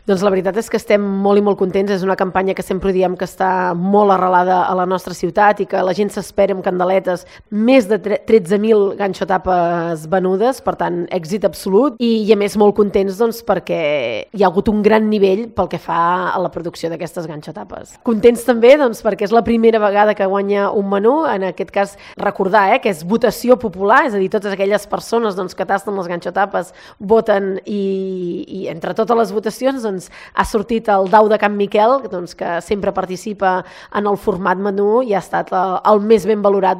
Doncs la veritat és que estem molt i molt contents. És una campanya que sempre diem que està molt arrelada a la nostra ciutat i que la gent s'espera amb candeletes. Més de 13.000 ganxotapes venudes, per tant, èxit absolut. I a més molt contents doncs, perquè hi ha hagut un gran nivell pel que fa a la producció d'aquestes ganxotapes. Contents també doncs, perquè és la primera vegada que guanya un menú, en aquest cas recordar que és votació popular, és a dir, totes aquelles persones doncs, que tasten les ganxotapes voten i entre totes les votacions doncs, ha sortit el Dau de Can Miquel, doncs, que sempre participa en el format menú i ha estat el més ben valorat.